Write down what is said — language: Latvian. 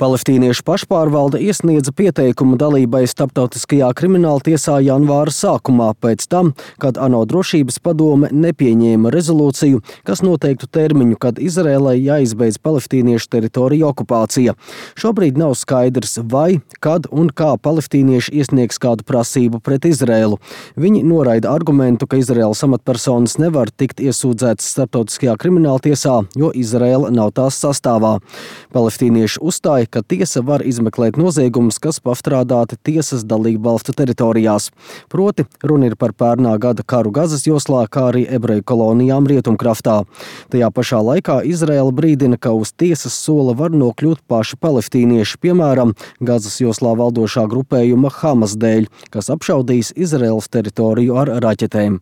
Palestīniešu pašpārvalde iesniedza pieteikumu dalībai Starptautiskajā krimināltiesā janvāra sākumā pēc tam, kad ANO drošības padome nepieņēma rezolūciju, kas noteiktu termiņu, kad Izrēlai jāizbeidz palestīniešu teritoriju okupācija. Šobrīd nav skaidrs, vai, kad un kā palestīnieši iesniegs kādu prasību pret Izrēlu. Viņi noraida argumentu, ka Izrēlas amatpersonas nevar tikt iesūdzētas Starptautiskajā krimināltiesā, jo Izrēla nav tās sastāvā. Palestīnieši uzstāja, ka tiesa var izmeklēt noziegumus, kas pastrādāti tiesas dalību valstu teritorijās. Proti, runa ir par pērnā gada karu Gazas joslā, kā arī ebreju kolonijām Rietumkraftā. Tajā pašā laikā Izraēla brīdina, ka uz tiesas sola var nokļūt paši palestīnieši, piemēram, Gazas joslā valdošā grupējuma Hamas dēļ, kas apšaudīs Izraēlas teritoriju ar raķetēm.